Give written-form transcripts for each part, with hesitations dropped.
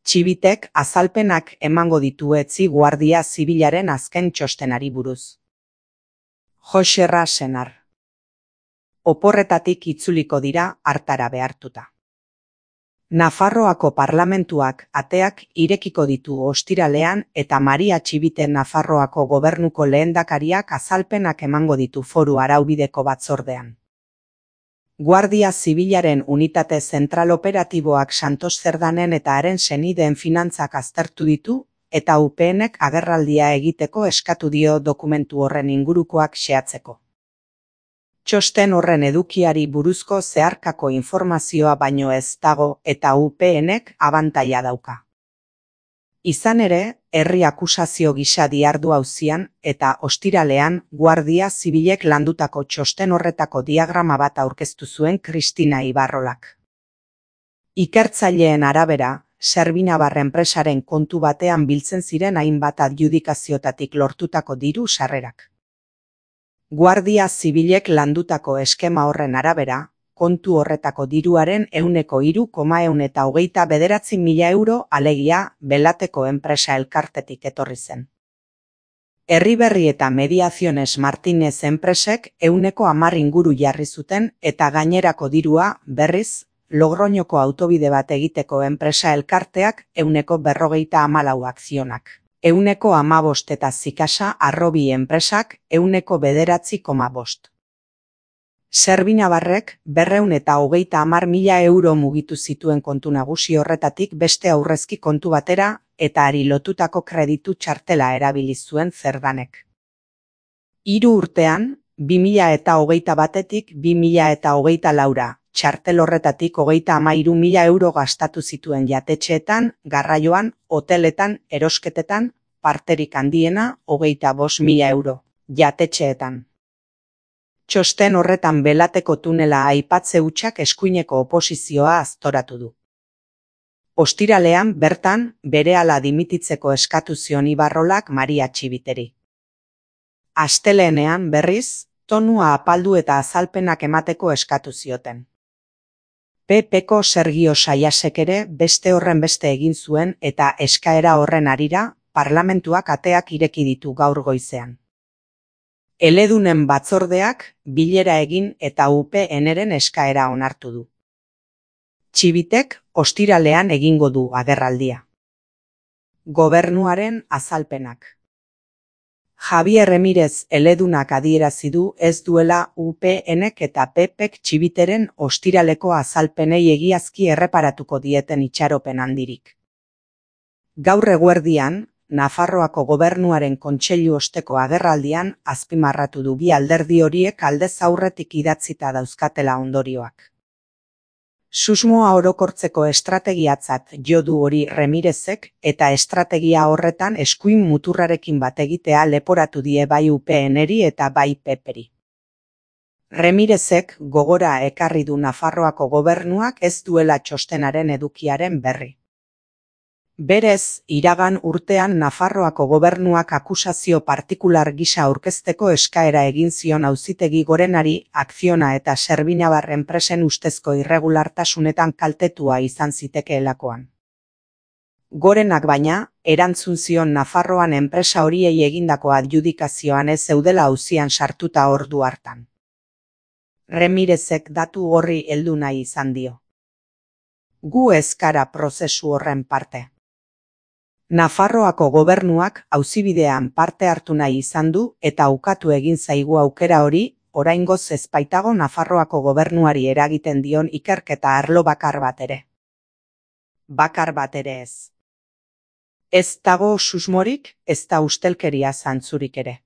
Txibitek azalpenak emango ditu etzi Guardia Zibilaren azken txostenari buruz. Joxerra Senar. Oporretatik itzuliko dira hartara behartuta. Nafarroako parlamentuak ateak irekiko ditu ostiralean eta Maria Txibite Nafarroako gobernuko lehendakariak azalpenak emango ditu foru araubideko batzordean. Guardia Zibilaren unitate zentral operatiboak Santos Zerdanen eta haren senideen finantzak aztertu ditu eta UPNek agerraldia egiteko eskatu dio dokumentu horren ingurukoak xehatzeko. Txosten horren edukiari buruzko zeharkako informazioa baino ez dago eta UPNek abantaila dauka. Izan ere, herri akusazio gisa dihardu auzian eta ostiralean Guardia Zibilek landutako txosten horretako diagrama bat aurkeztu zuen Kristina Ibarrolak. Ikertzaileen arabera, Servinabar enpresaren kontu batean biltzen ziren hainbat adjudikaziotatik lortutako diru sarrerak. Guardia Zibilek landutako eskema horren arabera, kontu horretako diruaren 3,129.000 euro alegia Belateko enpresa elkartetik etorri zen. Herriberri eta Mediaciones Martínez enpresek 110 inguru jarri zuten eta gainerako dirua, berriz, Logroñoko autobide bat egiteko enpresa elkarteak 154 akzionak. 115 eta Zikasa Arrobi enpresak 9,9,5. Servinabarrek 230.000 euro mugitu zituen kontu nagusi horretatik beste aurrezki kontu batera eta hari lotutako kreditu txartela erabili zuen Zerdanek. 3 urtean, 2021-etik 2024 txartel horretatik 33.000 euro gastatu zituen jatetxeetan, garraioan, hoteletan, erosketetan, parterik handiena 25.000 euro, jatetxeetan. Txosten horretan Belateko tunela aipatze hutsak eskuineko oposizioa aztoratu du. Ostiralean bertan berehala dimititzeko eskatu zion Ibarrolak Maria Txibiteri. Asteleenean berriz, tonua apaldu eta azalpenak emateko eskatu zioten. PPko Sergio Saiasek ere beste horren beste egin zuen eta eskaera horren harira parlamentuak ateak ireki ditu gaur goizean. Eledunen batzordeak bilera egin eta UPNren eskaera onartu du. Txibitek ostiralean egingo du agerraldia. Gobernuaren azalpenak. Javier Remirez eledunak adierazi du ez duela UPNek eta PPek Txibiteren ostiraleko azalpenei egiazki erreparatuko dieten itxaropen handirik. Gaur eguerdian, Nafarroako gobernuaren kontseilu osteko agerraldian azpimarratu du bi alderdi horiek aldez aurretik idatzita dauzkatela ondorioak. Susmoa orokortzeko estrategiatzat jo du hori Remirezek eta estrategia horretan eskuin muturrarekin bat egitea leporatu die bai UPNeri eta bai PPri. Remirezek gogora ekarri du Nafarroako gobernuak ez duela txostenaren edukiaren berri. Berez, iragan urtean Nafarroako gobernuak akusazio partikular gisa aurkezteko eskaera egin zion Auzitegi Gorenari Akziona eta Servinabar enpresen ustezko irregulartasunetan kaltetua izan zitekeelakoan. Gorenak baina, erantzun zion Nafarroan enpresa horiei egindako adjudikazioan ez zeudela auzian sartuta ordu hartan. Remirezek datu horri heldu nahi izan dio. Gu ez gara prozesu horren parte. Nafarroako gobernuak auzibidean parte hartu nahi izan du eta ukatu egin zaigu aukera hori, oraingoz ez baitago Nafarroako gobernuari eragiten dion ikerketa arlo bakar bat ere. Bakar bat ere ez. Ez dago susmorik, ez da ustelkeria zantzurik ere.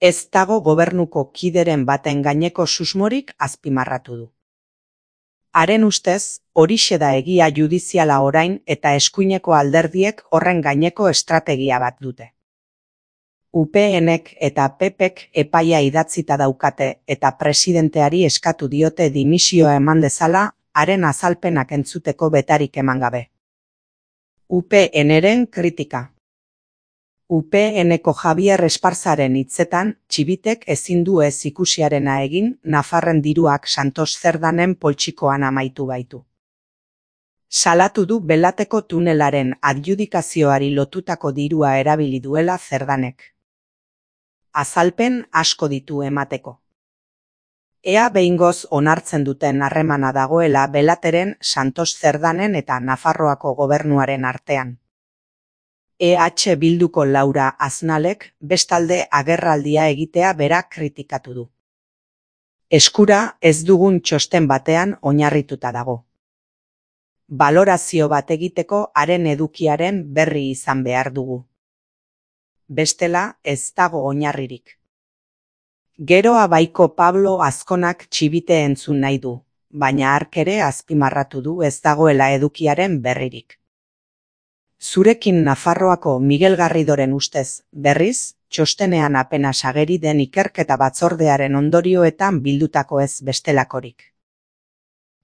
Ez dago gobernuko kideren baten gaineko susmorik azpimarratu du. Haren ustez, horixe da egia judiziala orain eta eskuineko alderdiek horren gaineko estrategia bat dute. UPNek eta PPek epaia idatzita daukate eta presidenteari eskatu diote dimisioa eman dezala, haren azalpenak entzuteko betarik eman gabe. UPNren kritika. UPNeko Javier Esparzaren hitzetan, Txibitek ezin du ez ikusiarena egin, Nafarren diruak Santos Zerdanen poltsikoan amaitu baitu. Salatu du Belateko tunelaren adjudikazioari lotutako dirua erabili duela Cerdanek. Azalpen asko ditu emateko. Ea behingoz onartzen duten harremana dagoela Belateren, Santos Cerdanen eta Nafarroako gobernuaren artean. EH Bilduko Laura Aznalek bestalde agerraldia egitea berak kritikatu du. Eskura ez dugun txosten batean oinarrituta dago. Balorazio bat egiteko haren edukiaren berri izan behar dugu. Bestela ez dago oinarririk. Geroa baiko Pablo Azkonak txibite entzun nahi du, baina hark ere azpimarratu du ez dagoela edukiaren berririk. Zurekin Nafarroako Miguel Garridoren ustez, berriz, txostenean apenas ageri den ikerketa batzordearen ondorioetan bildutako ez bestelakorik.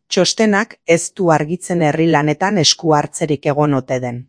Txostenak ez du argitzen herri lanetan esku hartzerik egon ote den.